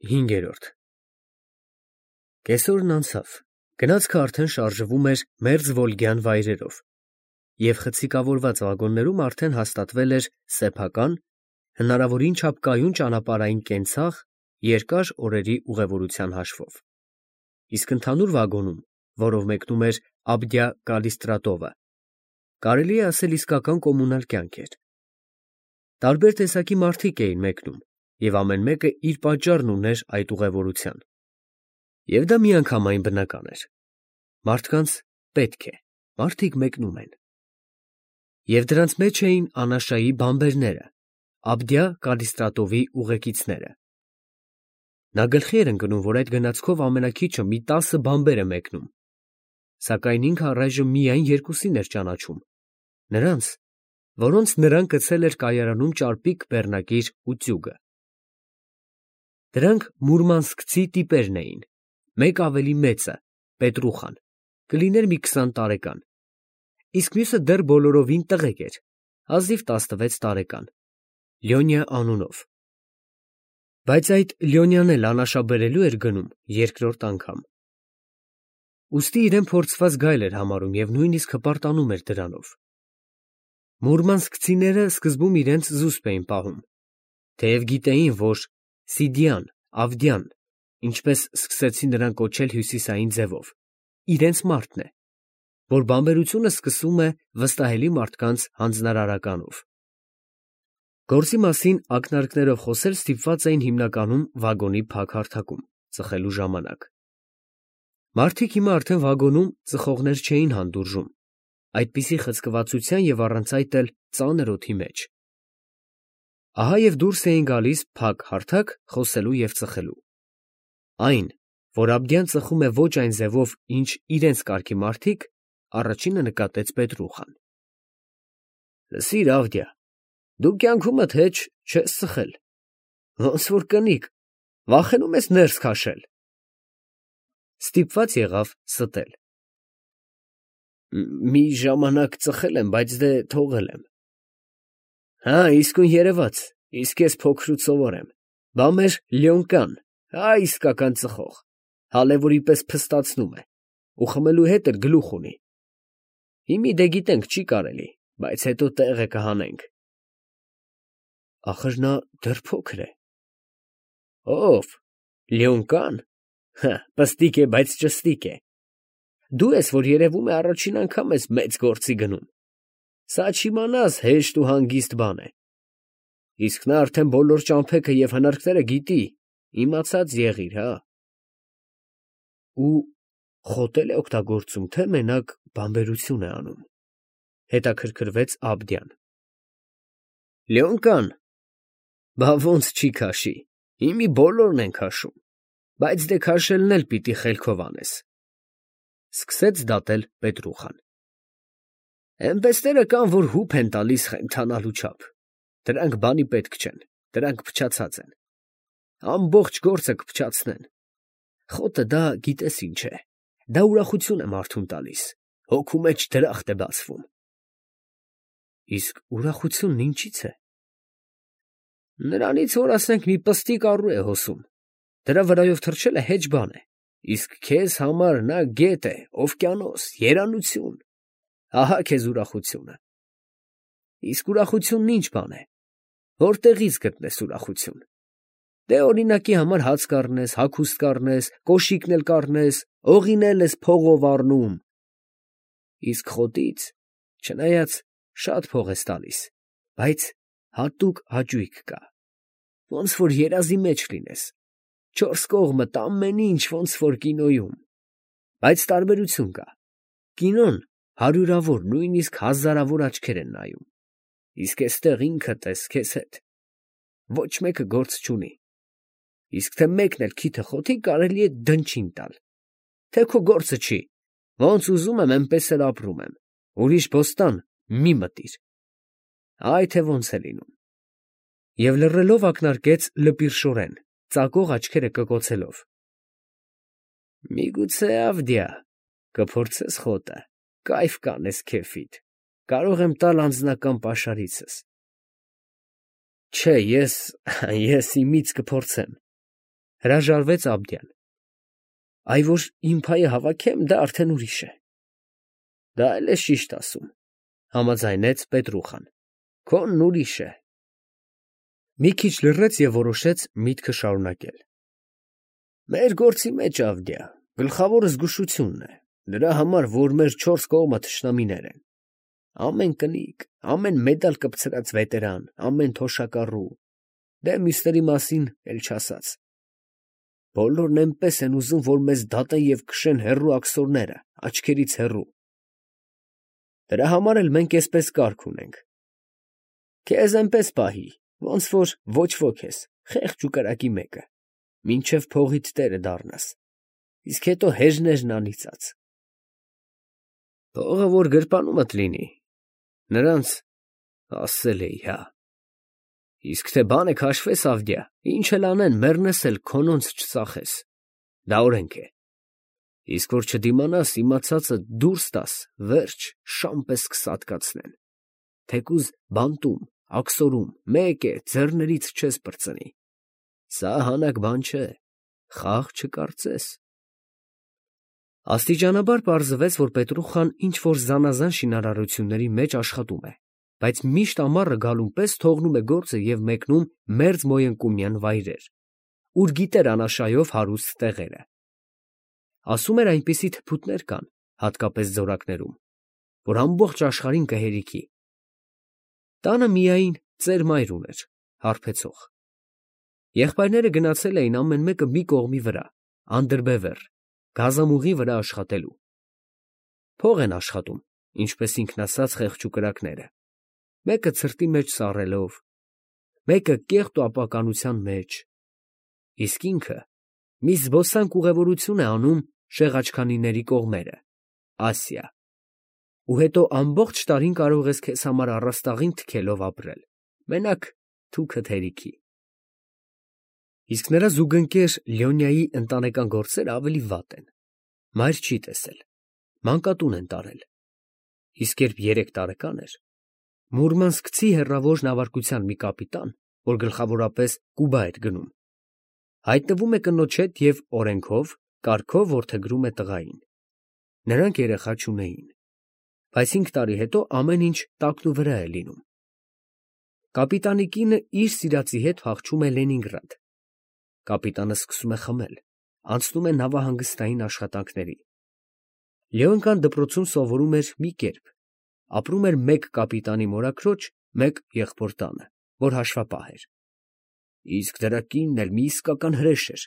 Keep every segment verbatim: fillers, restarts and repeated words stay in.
Հինգերորդ Կեսօրն անցավ, գնացքը արդեն շարժվում էր մերձվոլգյան վայրերով, և խցիկավորված վագոններում արդեն հաստատվել էր սեփական, հնարավորին չափ կայուն ճանապարհային կենցաղ երկար օրերի ուղևորության հաշվով, իսկ ընդհանուր վագոնում, որով մեկնում էր Աբդյա-Կալիստրատովը, կարելի է ասել իսկական կոմունալ կյանք էր. տարբեր տեսակի մարդիկ էին մեկնում, և ամեն մեկը իր պատճառն ուներ այդ ուղևորության, և դա միանգամայն բնական էր. մարդկանց պետք է, մարդիկ մեկնում են, և դրանց մեջ էին Անաշայի բանբերները, Աբդյա-Կալիստրատովի ուղեկիցները. նա գլխի էր ընկնում, որ այդ գնացքով ամենաքիչը մի տասը բանբեր է մեկնում, սակայն ինքը առայժմ միայն երկուսին էր ճանաչում, նրանց, որոնց նրան գցել էր կայարանում ճարպիկ բեռնակիր ու ծյուգը. դրանք մուրմանսկցի տիպերն էին, մեկը ավելի մեծը, Պետրուխան, կլիներ մի քսան տարեկան, իսկ մյուսը դեռ բոլորովին տղեկ էր, հազիվ տասնվեց տարեկան, Լյոնյա անունով, բայց այդ Լյոնյան էլ Անաշա բերելու էր գնում երկրորդ անգամ, ուստի իրեն փորձված գայլ էր համարում և նույնիսկ հպարտանում էր դրանով. մուրմանսկցիները սկզբում իրենց զուսպ էին պահում, թեև գիտեին, որ Սիդիան, Ավդյան, ինչպես սկսեցին նրան կոչել հյուսիսային ձևով, իրենց մարդն է, որ բանբերությունը սկսում է վստահելի մարդկանց հանձնարարականով. գործի մասին ակնարկներով խոսել ստիպված էին հիմնականում վագոնի փակ հարթակում, ծխելու ժամանակ. մարդիկ հիմա արդեն վագոնում ծխողներ չէին հանդուրժում, այդպիսի խցկվածության և առանց այդ էլ ծանր օդի մեջ. ահա և դուրս էին գալիս փակ հարթակ խոսելու և ծխելու. այն, որ Աբդյան ծխում է ոչ այն ձևով, ինչ իրենց կարգի մարդիկ, առաջինը նկատեց Պետրուխան. լսիր, Ավդյա, դու կյանքումդ հեչ չես ծխել, ոնց որ կնիկ, վախենու՞մ ես ներս քաշել. ստիպված եղավ ստել. մի ժամանակ ծխել եմ, բայց դե թողել եմ. հա, իսկույն երևաց, իսկ ես փոքրուց սովոր եմ, բա մեր Լյոնկան, ա, իսկական ծխող, հալևորի պես փստացնում է, ու խմելու հետ էլ գլուխ ունի. հիմի դե գիտենք չի կարելի, բայց հետո տեղը կհանենք. ախր նա դեռ փոքր է. ո՞վ, Լյոնկան, հը, պստիկ է, բայց ճստիկ է, դու ես, որ երևում է առաջին անգամ ես մեծ գործի գնում, սա չիմանաս հեշտ ու հանգիստ բան է, իսկ նա արդեն բոլոր ճամփեքը և հնարքները գիտի, իմացած եղիր, հա… ու խոտ է օգտագործում, թե մենակ բանբերություն է անում, հետաքրքրվեց Աբդյան. Լյոնկան, բա ոնց չի քաշի, հիմի բոլորն են քաշում, բայց դե քաշելն էլ պիտի խելքով անես, սկսեց դատել Պետրուխան. էնպեսները կան, որ հուփ են տալիս խենթանալու չափ, դրանք բանի պետք չեն, դրանք փչացած են, ամբողջ գործը կփչացնեն, խոտը դա գիտես ինչ է, դա ուրախություն է մարդուն տալիս, հոգու մեջ դրախտ է բացվում. իսկ ուրախությունն ինչի՞ց է. նրանից, որ ասենք մի պստիկ առու է հոսում, դրա վրայով թռչելը հեչ բան է, իսկ քեզ համար նա գետ է, օվկիանոս, երանություն, ահա քեզ ուրախությունը, իսկ ուրախությունն ինչ բան է, որտեղից գտնես ուրախություն, դե օրինակի համար հաց կառնես, հագուստ կառնես, կոշիկն էլ կառնես, օղին էլ ես փողով առնում, իսկ խոտից, չնայած շատ փող ես տալիս, բայց հատուկ հաճույք կա, ոնց որ երազի մեջ լինես, չորս կողմդ ամեն ինչ ոնց որ կինոյում, բայց տարբերություն կա, կինոն հարյուրավոր, նույնիսկ հազարավոր աչքեր են նայում, իսկ էստեղ ինքդ ես քեզ հետ, ոչ մեկը գործ չունի, իսկ թե մեկն էլ քիթը խոթի, կարելի է դնչին տալ, թե քո գործը չի, ոնց ուզում եմ, էնպես էլ ապրում եմ, ուրիշ բոստան մի մտիր, այ թե ոնց է լինում, և լռելով ակնարկեց լպիրշորեն, ծակող աչքերը կկոցելով. միգուցե, Ավդյա, կփորձես խոտը, կայֆ կանես քեֆիդ, կարող եմ տալ անձնական պաշարիցս. չէ, ես… ես իմից կփորձեմ, Հրաժարվեց Աբդյան։ Այ որ իմ փայը հավաքեմ, դա արդեն ուրիշ է։ Դա էլ ես ճիշտ ասում, համաձայնեց Պետրուխան։ Քոնն ուրիշ է։ Մի քիչ լռեց և որոշեց միտքը շարունակել։ Մեր գործի մեջ, Ավդիա, գլխավորը զգուշությունն է, դրա համար, որ մեր չորս կողմը թշնամիներ են։ Ամեն կնիկ, ամեն մեդալ կպցրած վետերան, ամեն թոշակառու, դե մյուսների մասին էլ չասած։ Բոլորն էնպես են ուզում, որ մեզ դատեն և քշեն հեռու աքսորները, աչքերից հեռու։ Դրա համար էլ մենք էսպես կարգ ունենք։ Քեզ էնպես պահի, ոնց որ ոչ ոք ես, խեղճ ու կրակի մեկը, մինչև փողիդ տերը դառնաս, իսկ հետո հեժներն անիծած։ Փողը որ գրպանումդ լինի, նրանց ասել էի, հա։ Իսկ թե բանը քաշվես, Ավդիա, ինչ էլ անեն, մեռնես էլ քոնոնց չծախես, դա օրենք է։ Իսկ որ չդիմանաս, իմացածը դուրս տաս, վերջ, շան պես կսատկացնեն, թեկուզ բանտում, աքսորում, մեկ է, ձեռներից չես պրծնի, սա հանակ բան չէ, խաղ չկարծես։ Աստիճանաբար պարզվեց, որ Պետրուխան ինչ-որ զանազան շինարարությունների մեջ աշխատում է, բայց միշտ ամառը գալուն պես թողնում է գործը և մեկնում մերձ Մոյընկումյան վայրեր, ուր գիտեր անաշայով հարուստ տեղերը։ Ասում էր, այնպիսի թփուտներ կան, հատկապես ձորակներում, որ ամբողջ աշխարհին կհերիքի։ Տանը միայն ծեր մայր ուներ, հարբեցող։ Եղբայրները գնացել էին ամեն մեկը մի կողմի վրա, անդրբևեռ, գազամուղի վրա աշխատելու։ Փող են աշխատում, ինչպես ինքն ասաց, խեղճ ու կրակները, մեկը ցրտի մեջ սառելով, մեկը կեղտ ու ապականության մեջ, իսկ ինքը մի զբոսանք ուղևորություն է անում Շեղաչքանիների կողմերը, Ասիա, ու հետո ամբողջ տարին կարող ես քեզ համար առաստաղին թքելով ապրել, մենակ թուքդ հերիքի։ Իսկ նրա զուգընկեր Լյոնյայի ընտանեկան գործերը ավելի վատ են, մայր չի տեսել, մանկատուն են տարել, իսկ երբ երեք տարեկան էր, Մուրմանսկցի հեռավոր նավարկության մի կապիտան, որ գլխավորապես Կուբա էր գնում, հայտնվում է կնոջ հետ և օրենքով, կարգով որդեգրում է տղային։ Նրանք երեխա չունեին, բայց հինգ տարի հետո ամեն ինչ տակնուվրա է լինում։ Կապիտանի կինը իր սիրածի հետ փախչում է Լենինգրադ։ Կապիտանը սկսում է խմել, անցնում է նավահանգստային աշխատանքների։ Լեոնկան դպրոցում սովորում էր մի կերպ, ապրում էր մեկ կապիտանի մորաքրոջ, մեկ եղբոր տանը, որ հաշվապահ էր։ Իսկ դրա կինն էլ մի իսկական հրեշ էր,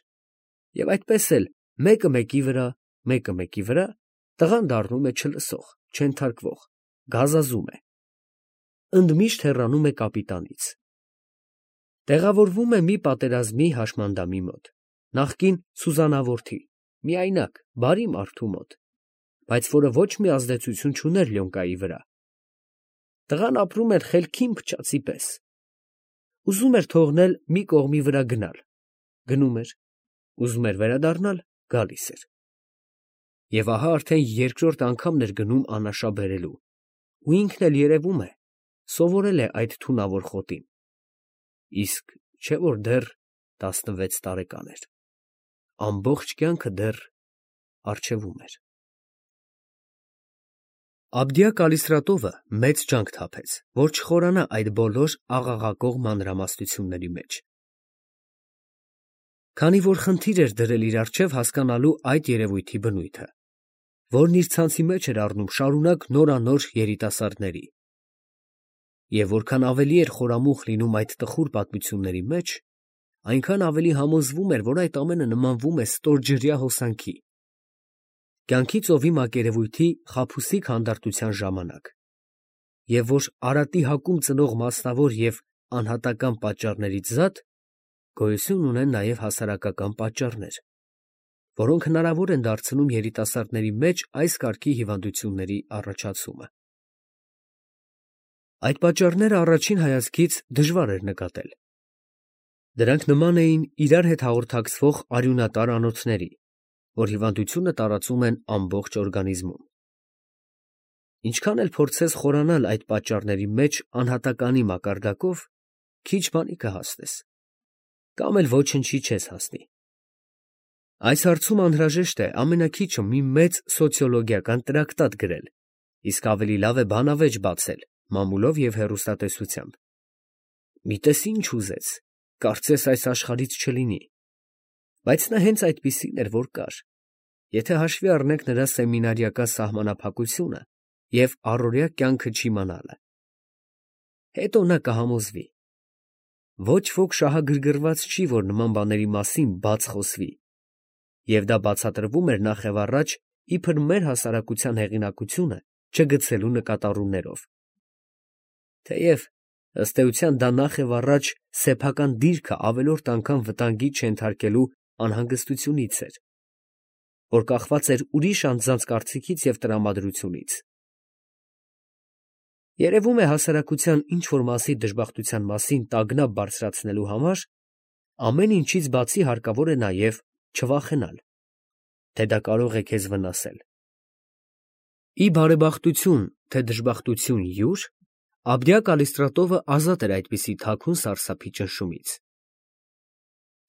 և այդպես էլ մեկը մեկի վրա, մեկը մեկի վրա, տղան դառնում է չլսող, չենթարկվող, գազազում է, ընդմիշտ հեռանում է կապիտանից։ Տեղավորվում է մի պատերազմի հաշմանդամի մոտ, նախկին սուզանավորթի, միայնակ, բարի մարդու մոտ, բայց որը ոչ մի ազդեցություն չուներ Լյոնկայի վրա։ Տղան ապրում էր խելքին փչացի պես, ուզում էր թողնել մի կողմի վրա գնալ, գնում էր, ուզում էր վերադառնալ, գալիս էր։ Եվ ահա արդեն երկրորդ անգամն էր գնում անաշա բերելու, ու ինքն էլ երևում է, սովորել է այդ թունավոր խոտին, իսկ չէ որ դեռ տասնվեց տարեկան էր, ամբողջ կյանքը դեռ առջևում էր։ Աբդիա Կալիստրատովը մեծ ջանք թափեց, որ չխորանա այդ բոլոր աղաղակող մանրամասնությունների մեջ։ Քանի որ խնդիր էր դրել իր առջև հասկանալու այդ երևույթի բնույթը, որն իր ցանցի մեջ էր առնում շարունակ նորանոր երիտասարդների, և որքան ավելի էր խորամուխ լինում այդ տխուր պատմությունների մեջ, այնքան ավելի համոզվում էր, որ այդ ամենը նմանվում է ստորջրյա հոսանքի, կյանքի ծովի մակերևույթի խաբուսիկ հանդարտության ժամանակ, և որ արատի հակում ծնող մասնավոր և անհատական պատճառներից զատ գոյություն ունեն նաև հասարակական պատճառներ, որոնք հնարավոր են դարձնում երիտասարդների մեջ այս կարգի հիվանդությունների առաջացումը։ Այդ պատճառները առաջին հայացքից դժվար էր նկատել։ Դրանք նման էին իրար հետ հաղորդակցվող արյունատար անոթների, որ հիվանդությունը տարածում են ամբողջ օրգանիզմում։ Ինչքան էլ փորձես խորանալ այդ պատճառների մեջ անհատականի մակարդակով, քիչ բանի կհասնես, կամ էլ ոչնչի չես հասնի, Այս հարցում անհրաժեշտ է ամենաքիչը մի մեծ սոցիոլոգիական տրակտատ գրել, իսկ ավելի լավ է բանավեճ բացել մամուլով և հեռուստատեսությամբ։ Մի տես ինչ ուզեց, կարծես այս աշխարհից չլինի, բայց նա հենց այդպիսին էր, որ կար, եթե հաշվի առնենք նրա սեմինարիական սահմանափակությունը և առօրյա կյանքը չիմանալը։ Հետո նա կհամոզվի։ Ոչ ոք շահագրգռված չի, որ նման բաների մասին բաց խոսվի, և դա բացատրվում էր նախևառաջ իբր մեր հասարակության հեղինակությունը չգցելու նկատառումներով։ Թեև, ըստ էության, դա նախևառաջ սեփական դիրքը ավելորդ անգամ վտանգի չենթարկելու անհանգստությունից էր, որ կախված էր ուրիշ անձանց կարծիքից և տրամադրությունից։ Երևում է, հասարակության ինչ֊որ մասի դժբախտության մասին տագնապ բարձրացնելու համար ամեն ինչից բացի հարկավոր է նաև չվախենալ, թե դա կարող է քեզ վնասել։ Ի բարեբախտություն, թե դժբախտություն յուր, Աբդիա Կալիստրատովը ազատ էր այդպիսի թաքուն սարսափի ճնշումից։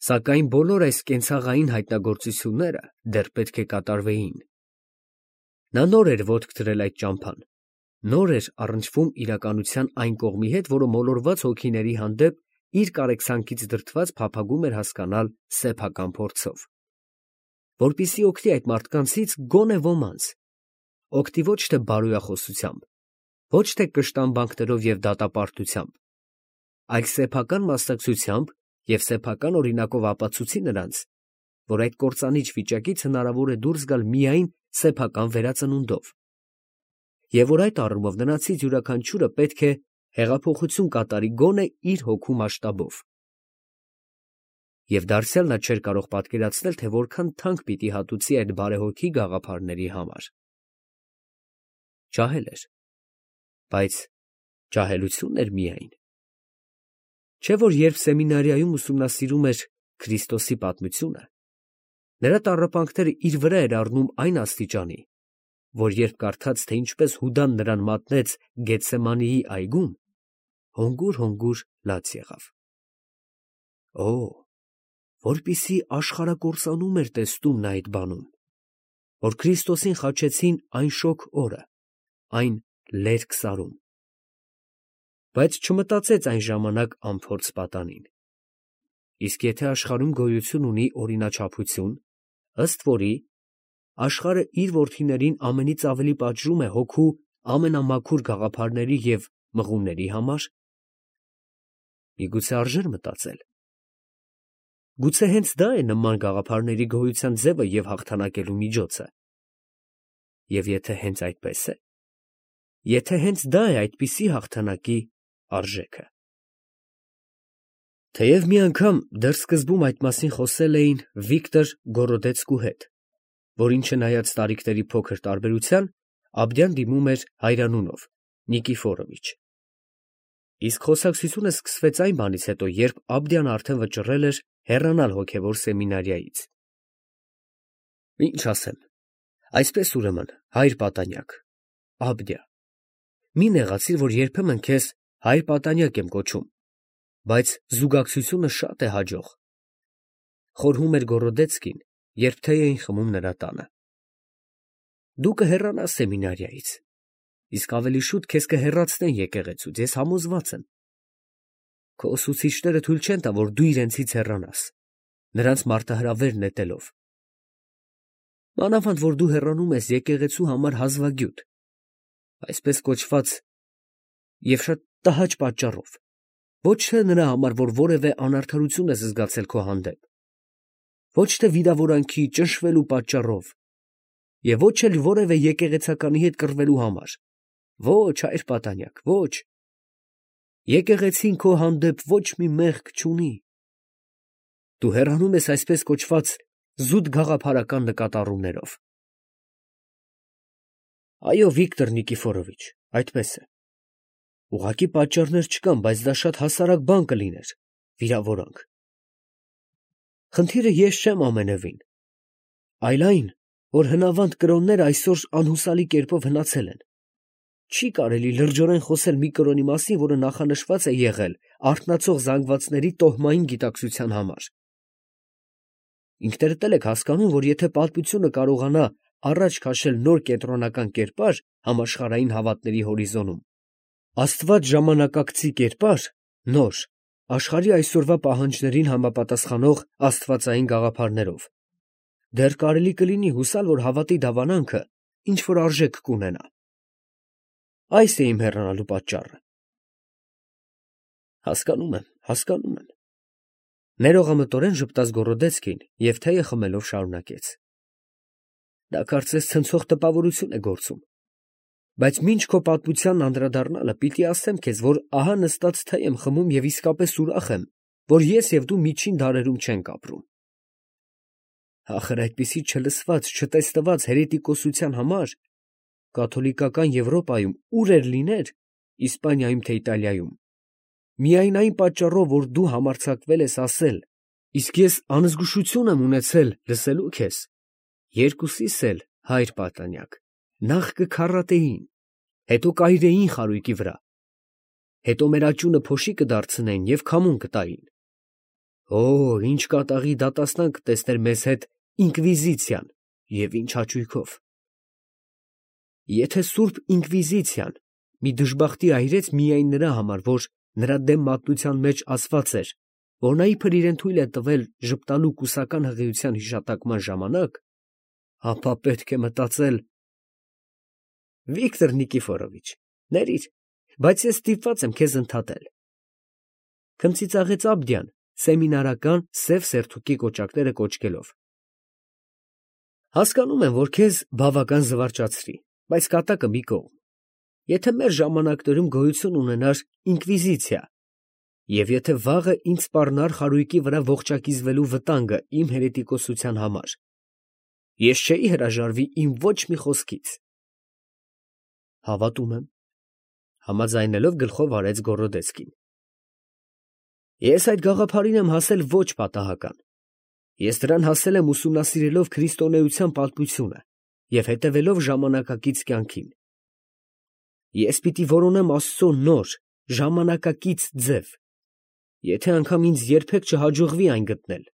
Սակայն բոլոր այս կենցաղային հայտնագործությունները դեռ պետք է կատարվեին։ Նա նոր էր ոտք դրել այդ ճամփան, նոր էր առնչվում իրականության այն կողմի հետ, որը մոլորված հոգիների հանդեպ իր կարեկցանքից դրդված փափագում էր հասկանալ սեփական փորձով, որպեսզի օգտի այդ մարդկանցից գոնե ոմանց, օգտի ոչ թե բարոյախոսությամբ, ոչ թե կշտամբանքներով և դատապարտությամբ, այլ սեփական մասնակցությամբ և սեփական օրինակով ապացուցի նրանց, որ այդ կործանիչ վիճակից հնարավոր է դուրս գալ միայն սեփական վերածնունդով, և որ այդ առումով նրանցից յուրաքանչյուրը պետք է հեղափոխություն կատարի գոնե իր հոգու մասշտաբով։ Եվ դարձյալ նա չէր կարող պատկերացնել, թե որքան թանկ պիտի հատուցի այդ բարեհոգի գաղափարների համար։ Ջահել էր, բայց ջահելություն էր միայն։ Չէ՞ որ երբ սեմինարիայում ուսումնասիրում էր Քրիստոսի պատմությունը, նրա տառապանքները իր վրա էր առնում այն աստիճանի, որ երբ կարդաց, թե ինչպես Հուդան նրան մատնեց Գեթսեմանեի այգում, հոնգուր֊հոնգուր լաց եղավ։ Օ՜, որպիսի աշխարհակործանում էր տեսնում նա այդ բանում, որ Քրիստոսին խաչեցին այն շոգ օրը, այն լերկ սարում։ Բայց չմտածեց այն ժամանակ անփորձ պատանին. իսկ եթե աշխարհում գոյություն ունի օրինաչափություն, ըստ որի աշխարհը իր որդիներին ամենից ավելի պատժում է հոգու ամենամաքուր գաղափարների և մղումների համար, միգուցե արժե՞ր մտածել. գուցե հենց դա է նման գաղափարների գոյության ձևը և հաղթանակելու միջոցը։ Եվ եթե հենց այդպես է, եթե հենց դա է այդպիսի հաղթանակի արժեքը։ Թեև մի անգամ դեռ սկզբում այդ մասին խոսել էին Վիկտոր Գորոդեցկու հետ, որին չնայած տարիքների փոքր տարբերության, Աբդյան դիմում էր հայրանունով Նիկիֆորովիչ, իսկ խոսակցությունը սկսվեց այն բանից հետո, երբ Աբդյան արդեն վճռել էր հեռանալ հոգևոր սեմինարիայից։ Ինչ ասեմ, այսպես ուրեմն, հայր պատանյակ, Աբդյա, մի նեղացիր, որ երբեմն քեզ հայր պատանյակ եմ կոչում, բայց զուգակցությունը շատ է հաջող, ֊ խորհում էր Գորոդեցկին, երբ թեյ էին խմում նրա տանը։ Դու կհեռանաս սեմինարիայից, իսկ ավելի շուտ քեզ կհեռացնեն եկեղեցուց, ես համոզված եմ։ Քո ուսուցիչները թույլ չեն տա, որ դու իրենցից հեռանաս, նրանց մարտահրավեր նետելով։ Մանավանդ որ դու հեռանում ես եկեղեցու համար հազվագյուտ, այսպես կոչված, և շատ տհաճ պատճառով, ոչ թե նրա համար, որ որևէ անարդարություն ես զգացել քո հանդեպ, ոչ թե վիրավորանքի, ճնշվելու պատճառով, և ոչ էլ որևէ եկեղեցականի հետ կռվելու համար, ոչ, հայր պատանյակ, ոչ, եկեղեցին քո հանդեպ ոչ մի մեղք չունի։ Դու հեռանում ես այսպես կոչված զուտ գաղափարական նկատառումներով։ Այո, Վիկտոր Նիկիֆորովիչ, այդպես է։ Ուղղակի պատճառներ չկան, բայց դա շատ հասարակ բան կլիներ, վիրավորանք։ Խնդիրը ես չեմ ամենևին, այլ այն, որ հնավանդ կրոնները այսօր անհուսալի կերպով հնացել են։ Չի կարելի լրջորեն խոսել մի կրոնի մասին, որը նախանշված է եղել արթնացող զանգվածների տոհմային գիտակցության համար։ Ինքներդ էլ եք հասկանում, որ եթե պատմությունը կարողանա առաջ քաշել նոր կենտրոնական կերպար համաշխարհային հավատների հորիզոնում, Աստված ժամանակակցի կերպար, նոր, աշխարհի այսօրվա պահանջներին համապատասխանող աստվածային գաղափարներով, դեռ կարելի կլինի հուսալ, որ հավատի դավանանքը ինչ որ արժեք կունենա։ Այս է իմ հեռանալու պատճառը։ Հասկանում եմ, հասկանում եմ։ Ներողամտորեն ժպտաց Գորոդեցկին և թեյը խմելով շարունակեց. Դա կարծես ցնցող տպավորություն է գործում, բայց մինչ քո պատմությանն անդրադառնալը պիտի ասեմ քեզ, որ ահա նստած թեյ եմ խմում և իսկապես ուրախ եմ, որ ես և դու միջին դարերում չենք ապրում։ Ախր այդպիսի չլսված, չտեսնված հերետիկոսության համար կաթոլիկական Եվրոպայում ուր էր լիներ, Իսպանիայում թե Իտալիայում, միայն այն պատճառով, որ դու համարձակվել ես ասել, իսկ ես անզգուշություն եմ ունեցել լսելու քեզ, երկուսիս էլ, հայր պատանյակ, նախ կքառատեին, հետո կայրեին խարույկի վրա, հետո մեր աճյունը փոշի կդարձնեին և քամուն կտային։ Օ, ինչ կատաղի դատաստան կտեսներ մեզ հետ ինկվիզիցիան և ինչ հաճույքով։ Եթե սուրբ ինկվիզիցիան մի դժբախտի այրեց միայն նրա համար, որ նրա դեմ մատնության մեջ ասված էր, որ նա իբր իրեն թույլ է տվել ժպտալու կուսական հղիության հիշատակման ժամանակ, ապա պետք է մտածել… Վիկտոր Նիկիֆորովիչ, ներիր, բայց ես ստիպված եմ քեզ ընդհատել, ֊ քմծիծաղեց Աբդյան, սեմինարական սև սերթուկի կոճակները կոճկելով։ Հասկանում եմ, որ քեզ բավական զվարճացրի, բայց կատակը մի կողմ։ Եթե մեր ժամանակներում գոյություն ունենար ինկվիզիցիա, և եթե վաղը ինձ սպառնար խարույկի վրա ողջակիզվելու վտանգը իմ հերետիկոսության համար, ես չէի հրաժարվի իմ ոչ մի խոսքից։ Հավատում եմ, համաձայնելով գլխով արեց Գորոդեցկին։ Ես այդ գաղափարին եմ հասել ոչ պատահական։ Ես դրան հասել եմ ուսումնասիրելով քրիստոնեության պատմությունը և հետևելով ժամանակակից կյանքին։ Ես պիտի որոնեմ Աստծո նոր, ժամանակակից ձև, եթե անգամ ինձ երբեք չհաջողվի այն գտնել,